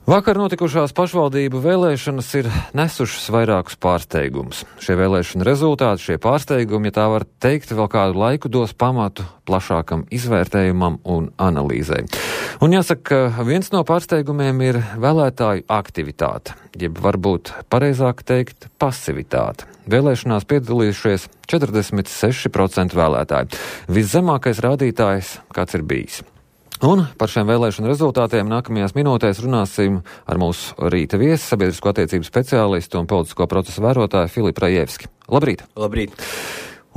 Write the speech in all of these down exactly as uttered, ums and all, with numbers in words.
Vakar notikušās pašvaldību vēlēšanas ir nesušas vairākus pārsteigumus. Šie vēlēšana rezultāti, šie pārsteigumi, ja tā var teikt, vēl kādu laiku dos pamatu plašākam izvērtējumam un analīzei. Un jāsaka, ka viens no pārsteigumiem ir vēlētāju aktivitāte, jeb varbūt pareizāk teikt pasivitāte. Vēlēšanās piedalījušies četrdesmit seši procenti vēlētāji. Viszemākais rādītājs, kāds ir bijis. Un par šiem vēlēšanu rezultātiem nākamajās minūtēs runāsim ar mūsu rīta viesi, sabiedrisko attiecību speciālistu un politisko procesu vērotāju Filipu Rajevski. Labrīt! Labrīt!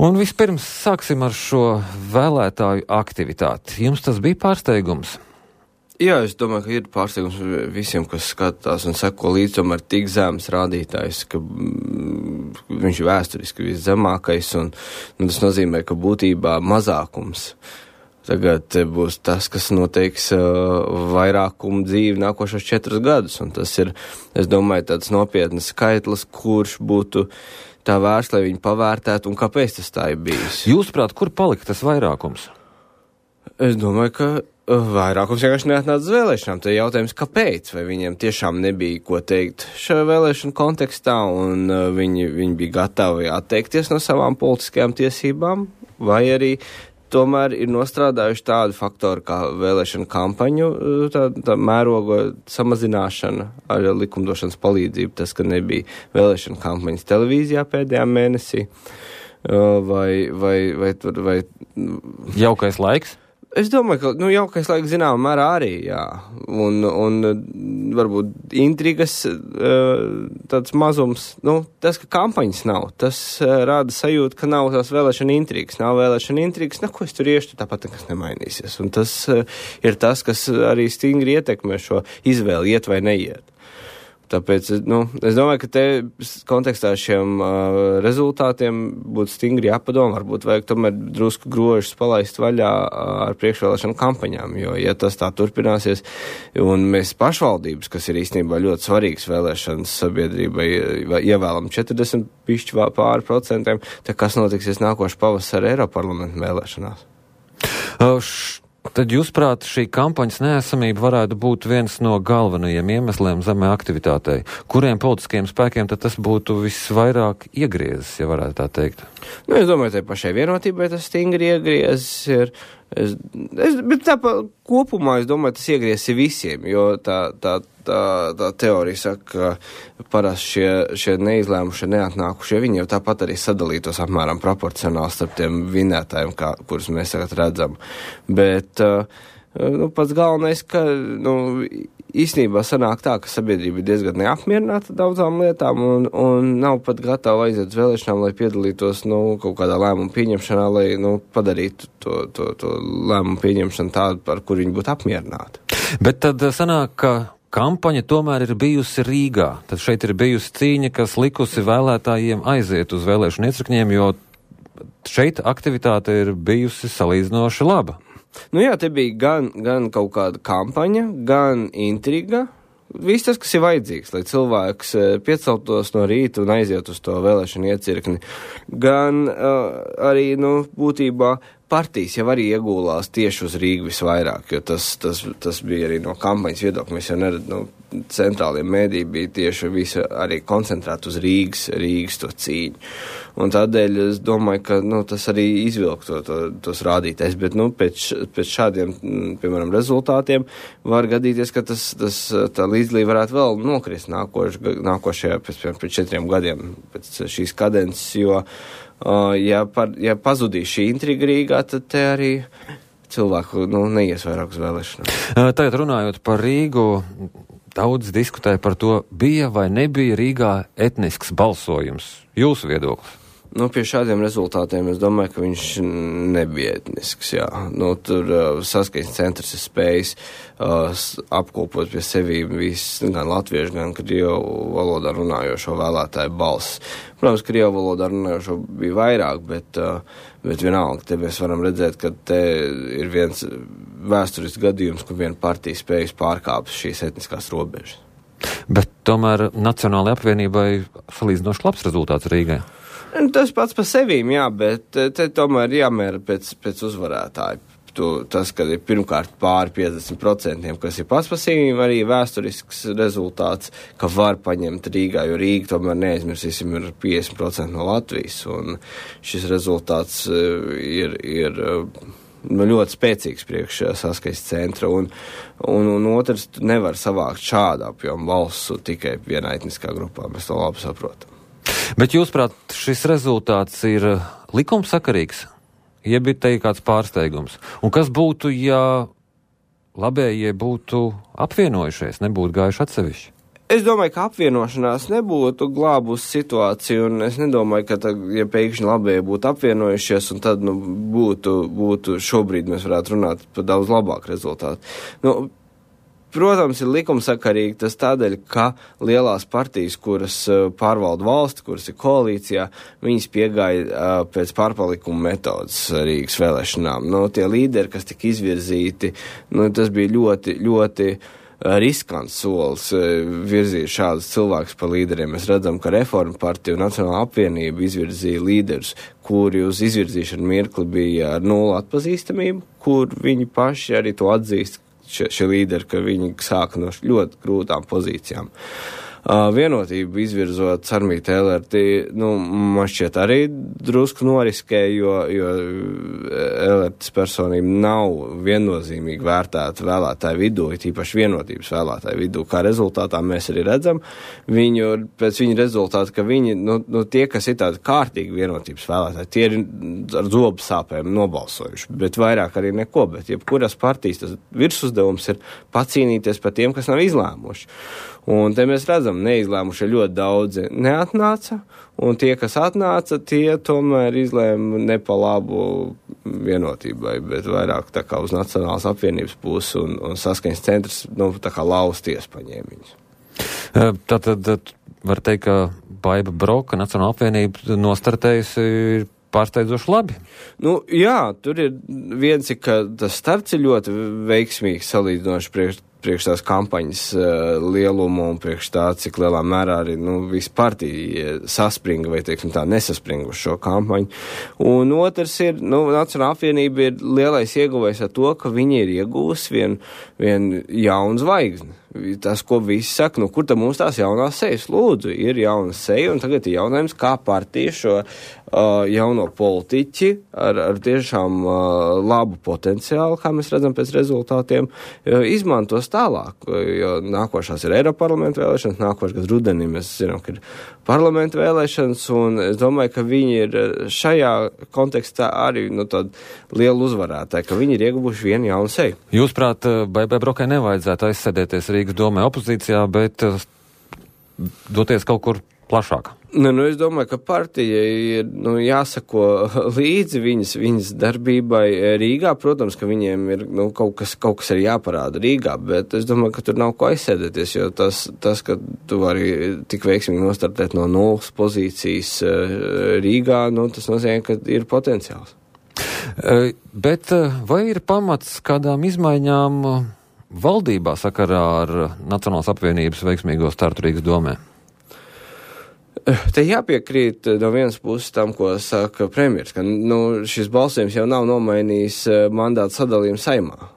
Un vispirms sāksim ar šo vēlētāju aktivitāti. Jums tas bija pārsteigums? Jā, es domāju, ka ir pārsteigums visiem, kas skatās un seko līdz tomēr tik zemes rādītājs, ka mm, viņš ir vēsturiski viszemākais, un nu, tas nozīmē, ka būtībā mazākums tagad būs tas, kas noteiks uh, vairākumu dzīvi nākošos četrus gadus, un tas ir, es domāju, tāds nopietnas skaitlis, kurš būtu tā vērts, lai viņi pavērtētu, un kāpēc tas tā ir bijis. Jūsuprāt, kur palika tas vairākums? Es domāju, ka uh, vairākums vienkārši neatnāca uz vēlēšanām. Te ir jautājums, kāpēc, vai viņiem tiešām nebija ko teikt šajā vēlēšanu kontekstā, un uh, viņi, viņi bija gatavi atteikties no savām politiskajām tiesībām, vai arī tomēr ir nostrādājuši tādu faktoru kā vēlēšana kampaņu, tā, tā mēroga samazināšana ar likumdošanas palīdzību, tas, ka nebija vēlēšana kampaņas televīzijā pēdējā mēnesī, vai, vai, vai, vai, vai jaukais laiks? Es domāju, ka nu, jaukais laiks zināmā mērā arī, jā, un, un varbūt intrigas tāds mazums, nu, tas, ka kampaņas nav, tas rāda sajūtu, ka nav tās vēlēšana intrigas, nav vēlēšana intrigas, na, ko es tur iešu, tāpat nekas nemainīsies, un tas ir tas, kas arī stingri ietekmē šo izvēli, iet vai neiet. Tāpēc, nu, es domāju, ka te kontekstā šiem uh, rezultātiem būtu stingri jāpadomā, varbūt vajag tomēr drusku grožus palaist vaļā uh, ar priekšvēlēšanu kampaņām, jo, ja tas tā turpināsies, un mēs pašvaldības, kas ir īstenībā ļoti svarīgas vēlēšanas sabiedrībai, ievēlam četrdesmit pišķi pāri procentiem, tad kas notiksies nākošu pavasara Eiroparlamentu vēlēšanās? Uh, š... Tad, jūsuprāt, šī kampaņas neesamība varētu būt viens no galvenajiem iemesliem zemē aktivitātei. Kuriem politiskiem spēkiem tad tas būtu visvairāk iegriezis, ja varētu tā teikt? Nu, es domāju, ka pašai vienotībai tas stingri iegriezis ir. Es, es, bet tā pa, kopumā, es domāju, tas iegriezis visiem, jo tā, tā, tā, tā teorija saka, ka parasti šie, šie neizlēmušie, neatnākušie, viņi jau tāpat arī sadalītos apmēram proporcionāli starp tiem vinētājiem, kā, kurus mēs tagad redzam. Bet nu, pats galvenais, ka nu, īstenībā sanāk tā, ka sabiedrība ir diezgan neapmierināta daudzām lietām un, un nav pat gatava aiziet uz vēlēšanām, lai piedalītos nu, kaut kādā lēmumu pieņemšanā, lai nu, padarītu to, to, to lēmumu pieņemšanu tādu, par kur viņi būtu apmierināti. Bet tad sanāk, ka kampaņa tomēr ir bijusi Rīgā. Tad šeit ir bijusi cīņa, kas likusi vēlētājiem aiziet uz vēlēšanu iecirkņiem, jo šeit aktivitāte ir bijusi salīdzinoši laba. Nu jā, te bija gan, gan kaut kāda kampaņa, gan intriga, viss tas, kas ir vajadzīgs, lai cilvēks pieceltos no rīta un aiziet uz to vēlēšanu iecirkni. Gan uh, arī, nu, būtībā partijas jau arī iegūlās tieši uz Rīgu visvairāk, jo tas, tas, tas bija arī no kampaņas viedokļa. Mēs jau nerad, nu, centrālie mēdī bija tieši visa arī koncentrēta uz Rīgas, Rīgas to cīņu. Un tādēļ es domāju, ka, nu, tas arī izvilk to, to, tos rādītājs, bet, nu, pēc, pēc šādiem, piemēram, rezultātiem var gadīties, ka tas, tas tā līdzdalība varētu vēl nokrist nākoš, nākošajā, pēc, pēc četriem gadiem, pēc šīs kadences, jo, uh, ja, par, ja pazudīs šī intriga Rīgā, tad te arī cilvēku, nu, neies vairāk uz vēlēšanām. Tagad runājot par Rīgu, daudz diskutēja par to, bija vai nebija Rīgā etnisks balsojums. Jūsu viedoklis? Nu, pie šādiem rezultātiem es domāju, ka viņš nebija etnisks, jā. Nu, tur uh, saskaņas centrs ir spējis uh, apkopot pie sevi visu, gan latviešu, gan krievu valodā runājošo vēlētāju balsis. Protams, krievu valodā runājošo bija vairāk, bet, uh, bet vienalga, te mēs varam redzēt, ka te ir viens vēsturisks gadījums, kur viena partija spējas pārkāpt šīs etniskās robežas. Bet tomēr Nacionālajai apvienībai salīdzinoši labs rezultāts Rīgai. Tas pats par sevīm, jā, bet te tomēr jāmēra pēc, pēc uzvarētāju. tu, tas, ka ir pirmkārt pāri piecdesmit procentiem, kas ir pats par sevi arī vēsturisks rezultāts, ka var paņemt Rīgā, jo Rīga tomēr neaizmirsīsim ir piecdesmit procenti no Latvijas, un šis rezultāts ir, ir nu, ļoti spēcīgs priekš Saskaņas centra, un, un, un otrs, tu nevar savākt šādu apjomu balsu tikai vienā etniskā grupā, mēs to labi saprotam. Bet jūsuprāt, šis rezultāts ir likumsakarīgs, jeb ir te kāds pārsteigums? Un kas būtu, ja labējie būtu apvienojušies, nebūtu gājuši atsevišķi? Es domāju, ka apvienošanās nebūtu glābusi situāciju, un es nedomāju, ka, tā, ja pēkšņi labējie būtu apvienojušies, un tad, nu, būtu, būtu šobrīd mēs varētu runāt par daudz labāku rezultātu. Nu, protams, ir likumsakarīgi tas tādēļ, ka lielās partijas, kuras pārvalda valsti, kuras ir koalīcijā, viņas piegāja uh, pēc pārpalikuma metodas Rīgas vēlēšanām. Nu, tie līderi, kas tika izvirzīti, nu, tas bija ļoti, ļoti riskants solis virzīt šādus cilvēkus par līderiem. Mēs redzam, ka Reforma partija un Nacionālā apvienība izvirzīja līderus, kuri uz izvirzīšanu mirkli bija ar nulli atpazīstamību, kur viņi paši arī to atzīst, šie, šie līderi, ka viņi sāka no ļoti grūtām pozīcijām. Uh, vienotību izvirzot Sarmīti Elerti, nu, man šķiet arī drusku noriskē, jo, jo Elertas personība nav viennozīmīgi vērtēta vēlētāju vidū, tīpaši vienotības vēlētāju vidū. Kā rezultātā mēs arī redzam viņu, pēc viņa rezultāta, ka viņi, nu, nu tie, kas ir tādi kārtīgi vienotības vēlētāji, tie ir ar zobu sāpēm nobalsojuši, bet vairāk arī neko, bet jebkuras partijas tas virsuzdevums ir pacīnīties par tiem, kas nav izlēmuši. Un te mēs redzam, neizlēmuši ļoti daudzi neatnāca, un tie, kas atnāca, tie tomēr izlēma ne pa labu vienotībai, bet vairāk tā kā uz Nacionālās apvienības pusi, un, un Saskaņas centrs, nu, tā kā lausties paņēma viņus. Tātad var teikt, ka Baiba Broka, Nacionālā apvienība nostartējusi ir pārsteidzoši labi. Nu, jā, tur ir viens, ka tas starts ir ļoti veiksmīgs salīdzinoši priekš priekš tās kampaņas uh, lielumu un priekš tā, cik lielā mērā arī, nu, visi partija saspringa vai, teiksim tā, nesaspringa uz šo kampaņu. Un otrs ir, nu, Nacionālā apvienība ir lielais ieguvējs ar to, ka viņi ir iegūs vien, vien jaunu zvaigzni. Tas, ko visi saka, nu, kur tad mums tās jaunās sejas? Lūdzu, ir jauna seja, un tagad ir jautājums, kā partija šo uh, jauno politiķi ar, ar tiešām uh, labu potenciālu, kā mēs redzam pēc rezultātiem, uh, izmantos tālāk, jo nākošās ir Eiroparlamenta vēlēšanas, nākošais gads rudenī mēs zinām, ka ir parlamenta vēlēšanas, un es domāju, ka viņi ir šajā kontekstā arī, nu, tāda liela uzvarētāja, ka viņi ir ieguvuši vienu jaunu seju. Jūs, prāt, Baibai Brokai nevajadzētu aizsēdēties Rīgas domē opozīcijā, bet doties kaut kur plašāk? Nu, nu, es domāju, ka partija ir, nu, jāsako līdzi viņas, viņas darbībai Rīgā. Protams, ka viņiem ir, nu, kaut kas, kaut kas ir jāparāda Rīgā, bet es domāju, ka tur nav ko aizsēdēties, jo tas, tas ka tu vari tik veiksmīgi nostartēt no nulles pozīcijas Rīgā, nu, tas nozīmē, ka ir potenciāls. Bet vai ir pamats kādām izmaiņām valdībā sakarā ar Nacionālās apvienības veiksmīgo startu Rīgas domē? Te jāpiekrīt no vienas puses tam, ko saka premjers, ka, nu, šis balsojums jau nav nomainījis mandātu sadalījumu Saeimā.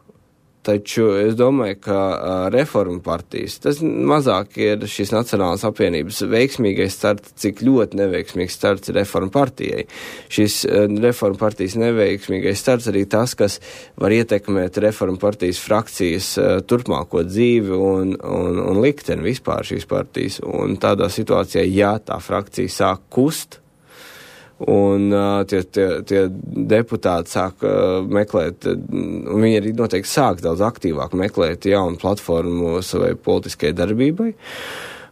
Taču es domāju, ka uh, Reforma partijas, tas mazāk ir šīs Nacionālās apvienības veiksmīgais starts, cik ļoti neveiksmīgs starts ir Reforma partijai. Šis uh, Reforma partijas neveiksmīgais starts arī tas, kas var ietekmēt Reforma partijas frakcijas uh, turpmāko dzīvi un, un, un likteni vispār šīs partijas. Un tādā situācijā, ja tā frakcija sāk kust, un uh, tie, tie, tie deputāti sāk uh, meklēt, un viņi arī noteikti sāk daudz aktīvāk meklēt jaunu platformu savai politiskajai darbībai.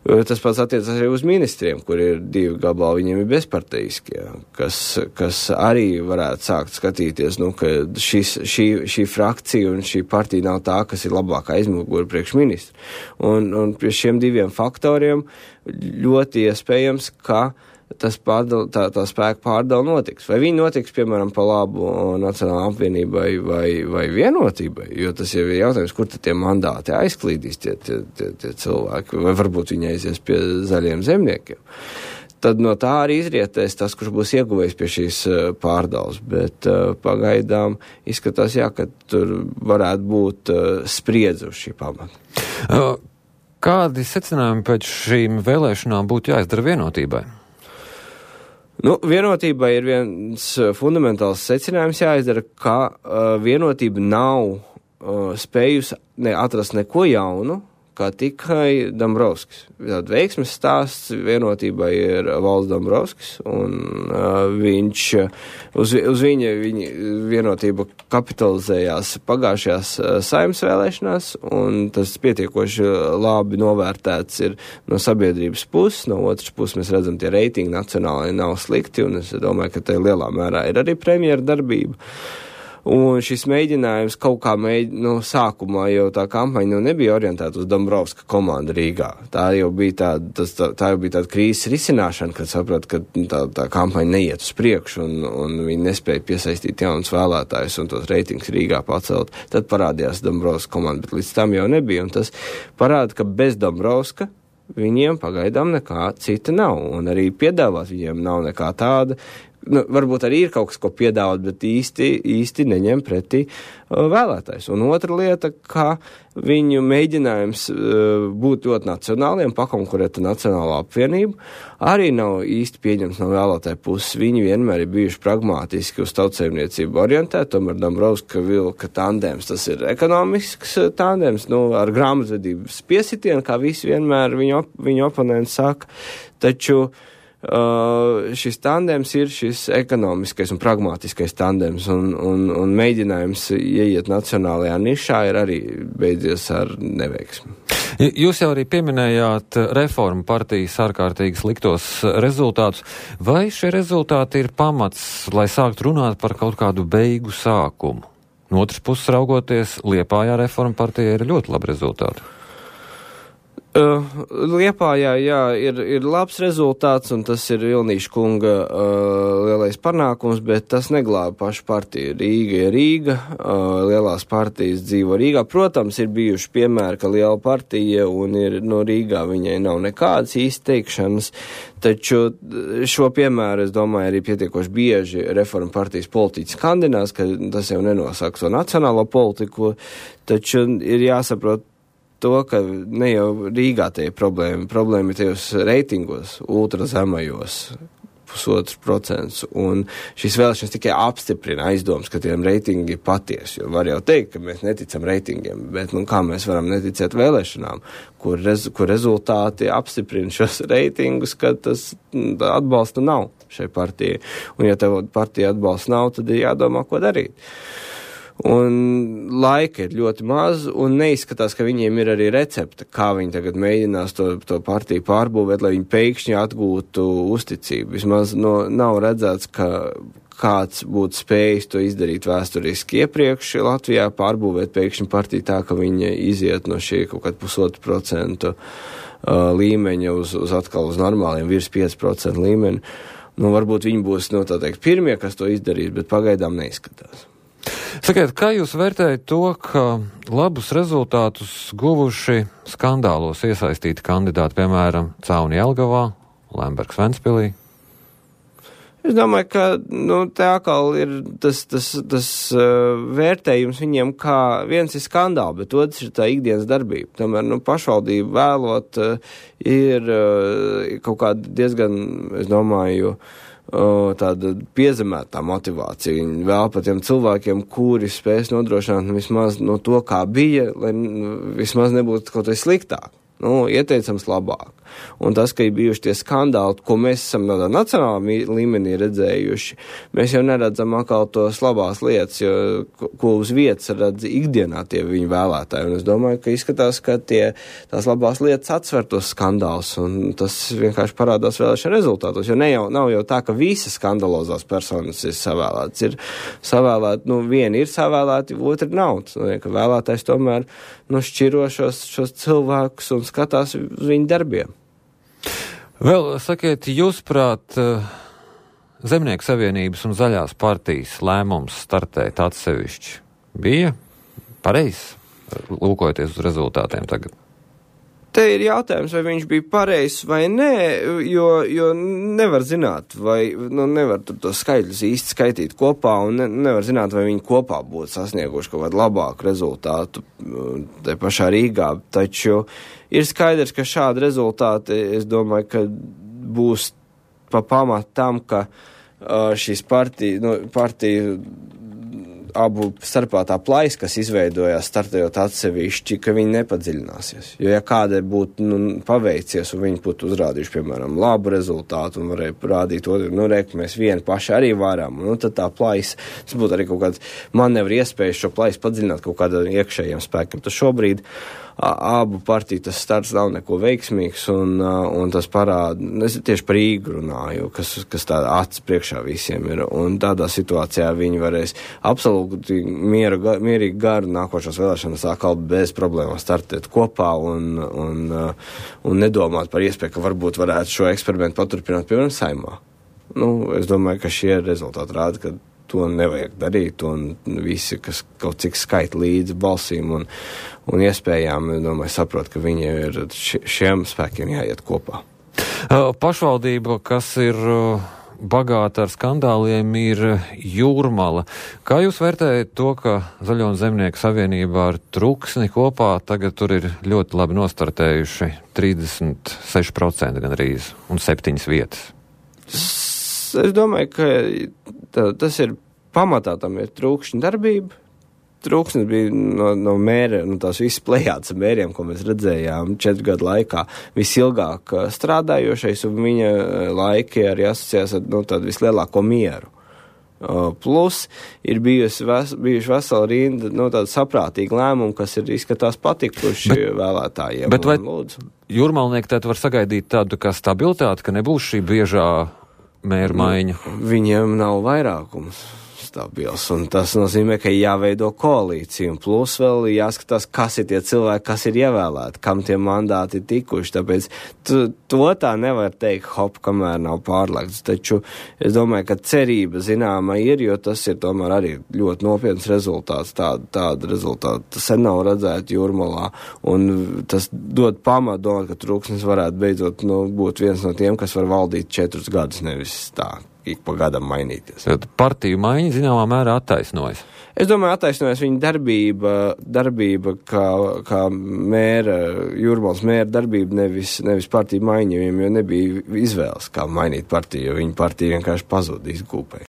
Uh, tas pats attiecas arī uz ministriem, kur ir divi gabali, viņiem ir bezpartijiskie, kas, kas arī varētu sākt skatīties, nu, ka šis, šī, šī frakcija un šī partija nav tā, kas ir labākā aizmugure priekš ministru. Un, un pie šiem diviem faktoriem ļoti iespējams, ka tas pārdal, tā, tā spēka pārdala notiks. Vai viņi notiks, piemēram, pa labu Nacionālā apvienībai vai, vai vienotībai, jo tas jau ir jautājums, kur tad tie mandāti aizklīdīs tie, tie, tie, tie cilvēki, vai varbūt viņi aizies pie zaļiem zemniekiem. tad no tā arī izrietēs tas, kurš būs ieguvējis pie šīs pārdales. Bet uh, pagaidām izskatās, jā, ka tur varētu būt uh, spriedze uz šī pamata. Uh, kādi secinājumi pēc šīm vēlēšanām būtu jāizdara vienotībai? Nu, vienotībai ir viens fundamentāls secinājums jāizdara, ka uh, vienotība nav uh, spējusi ne, atrast neko jaunu, kā tikai Dombrovskis. Tātad veiksmes stāsts vienotībai ir Valds Dombrovskis, un uh, viņš, uz, uz viņa, viņa vienotība kapitalizējās pagājušajās uh, Saeimas vēlēšanās, un tas pietiekoši labi novērtēts ir no sabiedrības puses, no otras puses mēs redzam, tie reitingi nacionāli nav slikti, un es domāju, ka te lielā mērā ir arī premjera darbība. Un šis mēģinājums kaut kā mēģ, nu, sākumā jau tā kampaņa nu, nebija orientēta uz Dombrovska komandu Rīgā. Tā jau bija tāda, tas, tā, tā jau bija tāda krīzes risināšana, kad saprot, ka tā, tā kampaņa neiet uz priekšu un, un viņi nespēja piesaistīt jaunus vēlētājus un tos reitingus Rīgā pacelt. Tad parādījās Dombrovska komanda, bet līdz tam jau nebija. Un tas parāda, ka bez Dombrovska viņiem pagaidām nekā cita nav. Un arī piedāvāt viņiem nav nekā tāda. Nu, varbūt arī ir kaut kas, ko piedāvāt, bet īsti, īsti neņem pretī uh, vēlētājs. Un otra lieta, ka viņu mēģinājums uh, būt ļoti nacionāliem, pakonkurēt Nacionālo apvienību, arī nav īsti pieņems no vēlētāju puses. Viņi vienmēr ir bijuši pragmātiski uz tautsaimniecību orientēti, tomēr Dombrovska vilka tandēms, tas ir ekonomisks tandēms, nu, ar grāmatvedības piesitienu, kā visi vienmēr viņu, op- viņu oponenti saka, taču Uh, šis tandēms ir šis ekonomiskais un pragmātiskais tandēms, un, un, un mēģinājums ieiet nacionālajā nišā ir arī beidzies ar neveiksmi. Jūs jau arī pieminējāt Reformu partijas ārkārtīgi sliktos rezultātus. Vai šie rezultāti ir pamats, lai sāktu runāt par kaut kādu beigu sākumu? No otras puses raugoties, Liepājā Reformu partija ir ļoti labi rezultāti. Uh, Liepājā, jā, ir, ir labs rezultāts, un tas ir Vilnīša kunga uh, lielais panākums, bet tas neglāba pašu partiju. Rīga ir Rīga, uh, lielās partijas dzīvo Rīgā. Protams, ir bijuši piemēri, ka liela partija un ir no Rīgā viņai nav nekādas izteikšanas, taču šo piemēru, es domāju, arī pietiekoši bieži Reformu partijas politiķi skandinās, ka tas jau nenosaka to nacionālo politiku, taču ir jāsaprot, to, ka ne jau Rīgā tie ir problēma. Problēma ir tajos reitingos, ultrazemajos, pusotrs procents. Un šīs vēlēšanas tikai apstiprina aizdomas, ka tiem reitingi ir patiesi. Jo var jau teikt, ka mēs neticam reitingiem, bet nu, kā mēs varam neticēt vēlēšanām, kur, rez, kur rezultāti apstiprina šos reitingus, ka tas atbalsta nav šai partijai. Un ja tev partija atbalsta nav, tad ir jādomā, ko darīt. Un laika ir ļoti maz, un neizskatās, ka viņiem ir arī recepte, kā viņi tagad mēģinās to, to partiju pārbūvēt, lai viņi pēkšņi atgūtu uzticību. Vismaz no, nav redzēts, ka kāds būtu spējis to izdarīt vēsturiski iepriekš Latvijā, pārbūvēt pēkšņi partiju tā, ka viņa iziet no šī kaut kāda pusotru procentu uh, līmeņa uz, uz atkal uz normāliem virs pieci procenti līmeni. Nu, varbūt viņi būs, nu, tā teikt, pirmie, kas to izdarīs, bet pagaidām neizskatās. Sakiet, kā jūs vērtējat to, ka labus rezultātus guvuši skandālos iesaistīti kandidāti, piemēram, Cauni Jelgavā, Lembergs Ventspilī? Es domāju, ka nu, te atkal ir tas, tas, tas uh, vērtējums viņiem, kā viens ir skandāli, bet otrs ir tā ikdienas darbība. Tomēr nu, pašvaldību vēlot uh, ir uh, kaut kāda diezgan, es domāju, Uh, tāda piezemētā motivācija. Viņi vēl par tiem cilvēkiem, kuri spēs nodrošināt vismaz no to, kā bija, lai vismaz nebūtu kaut kas sliktāk. Nu, ieteicams labāk. Un tas, ka ir bijuši tie skandāli, ko mēs esam tādā nacionālā līmenī redzējuši, mēs jau neredzam atkal tos labās lietas, jo, ko uz vietas redz ikdienā tie viņu vēlētāji. Un es domāju, ka izskatās, ka tie, tās labās lietas atsver tos skandālus, un tas vienkārši parādās vēlēšana rezultātos. Jo ne jau, nav jau tā, ka visas skandalozās personas ir savēlētas. Ir savēlēti, nu, vieni ir savēlēti, otri nav. Tas nozīmē, ka vēlētājs tomēr nu, šķiro šos, šos cilvēkus un skatās uz viņu darbiem. Vēl, sakiet, jūsprāt, Zemnieku savienības un Zaļās partijas lēmums startēt atsevišķi bija pareizs, lūkojoties uz rezultātiem tagad? Te ir jautājums, vai viņš bija pareizs vai nē, jo, jo nevar zināt, vai nu, nevar tur tos skaitļus īsti skaitīt kopā, un ne, nevar zināt, vai viņi kopā būtu sasnieguši kaut kādu labāku rezultātu te pašā Rīgā. Taču ir skaidrs, ka šādi rezultāti, es domāju, ka būs pa pamatu tam, ka uh, šīs partija, nu, partija abu starpā tā plaisa, kas izveidojās startējot atsevišķi, ka viņi nepadziļināsies. Jo ja kādai būtu nu, paveicies un viņi būtu uzrādījuši, piemēram, labu rezultātu un varēja rādīt otru, nu, re, ka mēs vieni paši arī varam, nu, tad tā plaisa, tas būtu arī kaut kāds manevri iespējas šo plaisu padziļināt kaut kādiem iekšējiem spēkiem. Tas šobrīd abu partiju tas starts nav neko veiksmīgs, un, un tas parāda, es tieši par Rīgu runāju, kas, kas tāda acis priekšā visiem ir, un tādā situācijā viņi varēs absolūti mieru, mierīgi garu nākošās vēlēšanas atkal bez problēmām startēt kopā un, un, un nedomāt par iespēju, ka varbūt varētu šo eksperimentu paturpināt, piemēram, Saeimā. Nu, es domāju, ka šie rezultāti rāda, ka to nevajag darīt, un visi, kas kaut cik skaita līdzi balsīm un, un iespējām, domāju, saprot, ka viņi ir šiem spēkiem jāiet kopā. Pašvaldība, kas ir bagāta ar skandāliem, ir Jūrmala. Kā jūs vērtējat to, ka Zaļo un Zemnieku savienībā ar Truksni kopā tagad tur ir ļoti labi nostartējuši trīsdesmit seši procenti gandrīz un septiņas vietas? Es domāju, ka tā, tas ir pamatā, tam ir Trūkšņa darbība. Trūksnis bija no, no mēra, no tās visas plejātas mēriem, ko mēs redzējām četru gadu laikā, visilgāk strādājošais, un viņa laiki arī asociējās ar no, tādu vislielāko mieru. Plus ir bijusi ves, bijuši vesela rinda no tāda saprātīga lēmuma, kas ir izskatās patikuši bet, vēlētājiem. Bet vai jūrmalnieki tad var sagaidīt tādu kā stabilitāti, ka nebūs šī biežā mēra maiņa? Viņiem nav vairākums stabils, un tas nozīmē, ka jāveido koalīcija, un plus vēl jāskatās, kas ir tie cilvēki, kas ir ievēlēti, kam tie mandāti ir tikuši, tāpēc tu, to tā nevar teikt hop, kamēr nav pārlēgts, taču es domāju, ka cerība zināma ir, jo tas ir tomēr arī ļoti nopietns rezultāts, tāda, tāda rezultāta sen nav redzēta Jūrmalā, un tas dod pamatu domāt, ka Trūksnis varētu beidzot nu, būt viens no tiem, kas var valdīt četrus gadus, nevis tā. Ik pa gadam mainīties. Tad partiju maiņa zināmā mērā attaisnojas. Es domāju, attaisnojas viņa darbība, darbība kā, kā mēra, Jūrmalas mēra darbība, nevis, nevis partiju maiņa, jo nebija izvēles, kā mainīt partiju, jo viņa partija vienkārši pazūd izgūpēja.